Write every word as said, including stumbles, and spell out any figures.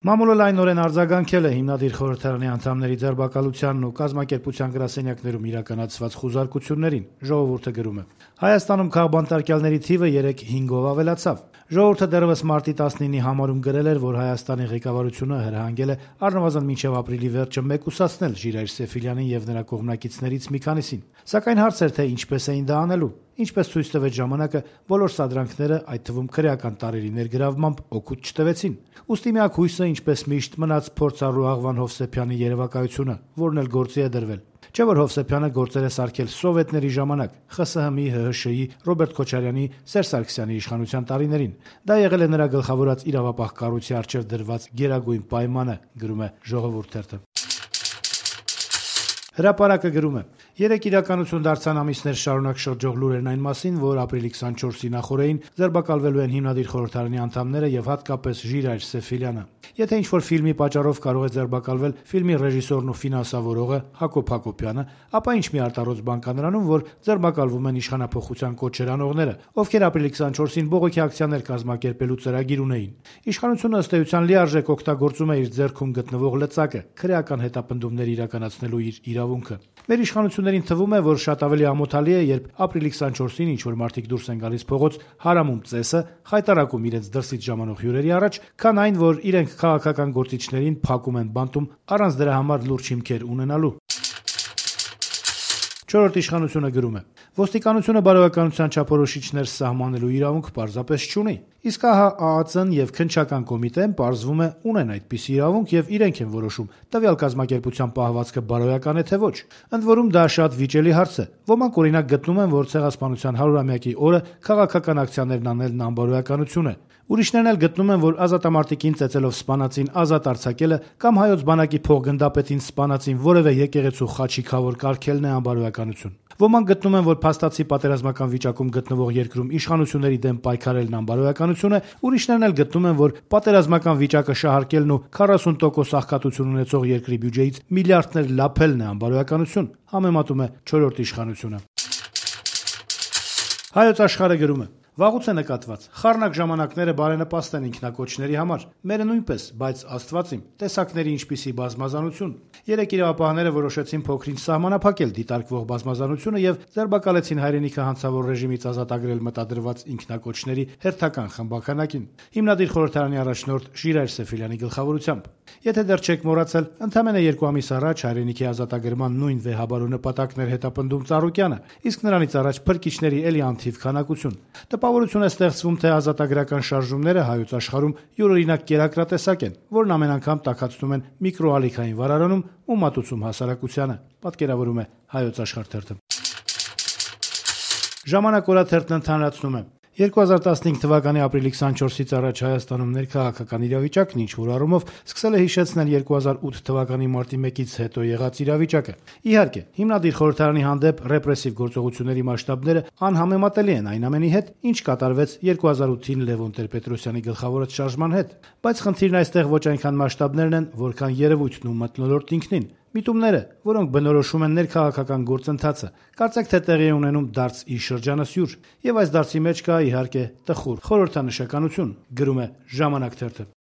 Մամուլը լայնորեն արձագանքել է հիմնադիր խորհրդարանի անդամների ձերբակալությանն ու կազմակերպության գրասենյակներում իրականացված խուզարկություններին, ժողովուրդը գրում է. Հայաստանում քաղբանտարկյալների թիվը երեկ հինգով ավելացավ։ Ժողովուրդը դեռևս մարտի տասնինի համարում գրել էր, որ Հայաստանի ղեկավարությունը հրահանգել է առնվազն մինչև ապրիլի վերջը մեկուսացնել Ժիրայր Սեֆիլյանին եւ նրա կողմնակիցներից մի քանիսին։ Սակայն հարց էր, թե ինչպես էին դա անելու։ Ինչպես ցույց տվեց ժամանակը, բոլոր սադրանքները, այդ թվում քրեական տարրերի ներգրավմամբ, օգուտ չտվեցին։ Ուստի միակ հույսը, ինչպես միշտ, մնաց փորձառու Աղվան Հովսեփյանի երևակայությունը, որն էլ գործի է դրվել։ Չէ՞ որ Հովսեփյանը գործեր է սարքել սովետների ժամանակ, ԽՍՀՄ-ի, ՀՀՇ-ի, Ռոբերտ Քոչարյանի, Սերժ Սարգսյանի իշխանության տարիներին։ Դա եղել է նրա գլխավորած իրավապահ կառույցի առջև դրված գերագույն պայմանը, գրում է Ժողովուրդ թերթը։ Հրապարակը գրում է. Երեկ իրականություն դարձան ամիսներ շարունակ շրջող լուրերն այն մասին, որ ապրիլի քսանչորսի նախօրեին ձերբակալվելու են հիմնադիր խորհրդարանի անդամները եւ հատկապես Ժիրայր Սեֆիլյանը։ Եթե ինչ-որ ֆիլմի պատճառով կարող է ձերբակալվել ֆիլմի ռեժիսորն ու ֆինանսավորողը Հակոբ Հակոբյանը, ապա ինչ մի արտառոց բան կա նրանում, որ ձերբակալվում են իշխանափոխության կոչեր անողները, ովքեր ապրիլի քսանչորսին բողոքի ակցիաներ կազմակերպելու ծրագիր ունեին։ Իշխանությունը ըստ էության լիարժեք օգտագործում է իր ձեռքում գտնվող լծակը, քրեական հետապնդումներ իրականացնելու իր իրավունքը։ Մեր իշխանություններին թվում է, որ շատ ավելի ամոթալի է, երբ ապրիլի քսանչորսին ինչ-որ մարդիկ դուրս են գալիս փողոց, հարամում ծեսը, խայտարակում իրենց դրսից ժամանող հյուրերի առաջ, քան այն, որ իրենք քաղաքական գործիչներին փակում են բանտում առանց դրա համար լուրջ հիմքեր ունենալու։ Չորրորդ իշխանությունը գրում է. Ոստիկանությունը բարոյականության չափորոշիչներ սահմանելու իրավունք պարզապես չունի։ Իսկ ահա ԱԱՑ-ն եւ քննչական կոմիտեն պարզվում է ունեն այդպիսի իրավունք եւ իրենք են որոշում տվյալ կազմակերպության պահվածքը բարոյական է թե ոչ։ Ընդ որում դա շատ վիճելի հարց է։ Ոմանք օրինակ գտնում են, որ ցեղասպանության հարյուրամյակի օրը քաղաքական ակցիաներն անելն անբարոյականություն է։ Ուրիշներն էլ գտնում են, որ ազատամարտիկին ծեծելով սպանածին ազատ արձակելը կամ հայոց բանակի փոխգնդապետին սպանածին որևէ եկեղեցու խաչիկավոր կարգելն է անբարոյականություն։ Ոմանք գտնում են, որ փաստացի պատերազմական վիճակում գտնվող երկրում իշխանությունների դեմ պայքարելն անբարոյականություն է, ուրիշներն էլ գտնում են, որ պատերազմական վիճակը շահարկելն ու քառասուն տոկոս աղքատություն ունեցող երկրի բյուջեից միլիարդներ լափելն է անբարոյականություն, համեմատում է չորրորդ իշխանությունը։ Հայոց Աշխարհը գրում է. Վաղուց է նկատված, խառնակ ժամանակները բարենպաստ են ինքնակոչների համար, մերը նույնպես, բայց Աստված իմ, տեսակների ինչպիսի բազմազանություն։ Երեկ իրավապահները որոշեցին փոքրինչ սահմանափակել դիտարկվող բազմազանությունը եւ ձերբակալեցին հայրենիքը հանցավոր ռեժիմից ազատագրել մտադրված ինքնակոչների հերթական խմբականակին, հիմնադիր խորհրդարանի առաջնորդ Ժիրայր Սեֆիլյանի գլխավորությամբ։ Եթե դեռ չեք մոռացել, ընդամենը երկու ամիս առաջ հայրենիքի ազատագրման նույն վեհաբարու նպատակներ հետապնդում Ծառուկյանը, իսկ նրանից առաջ փրկիչների էլի անթիվ քանակություն։ Տպավորություն է ստեղծվում, թե ազատագրական շարժումները Հայոց աշխարհում յուրօրինակ կերակրատեսակ են, որն ամեն անգամ տաքացնում են միկրոալիքային վարարանում ու մատուցում հասարակությանը, պատկերավորում է Հայոց Աշխարհ թերթը։ Ժամանակ օրաթերթն ընդհանրացնում է. երկու հազար տասնհինգ թվականի ապրիլի քսանչորսից առաջ Հայաստանում ներքաղաքական իրավիճակն ինչ-որ առումով սկսել է հիշեցնել երկու հազար ութ թվականի մարտի մեկից հետո եղած իրավիճակը։ Իհարկե, հիմնադիր խորհրդարանի հանդեպ ռեպրեսիվ գործողությունների մասշտաբները անհամեմատելի են այն ամենի հետ, ինչ կատարվեց երկու հազար ութին Լևոն Տեր-Պետրոսյանի գլխավորած շարժման հետ, բայց խնդիրն այստեղ ոչ այնքան մասշտաբներն են, որքան երևույթն ու մթնոլորտ ինքնին։ Միտումները, որոնք բնորոշում են ներքաղաքական գործընթացը, կարծեք թե տեղի է ունենում դարձ ի շրջանասյուր, եւ այս դարձի մեջ կա իհարկե տխուր խորհրդանշականություն, գրում է Ժամանակ թերթը։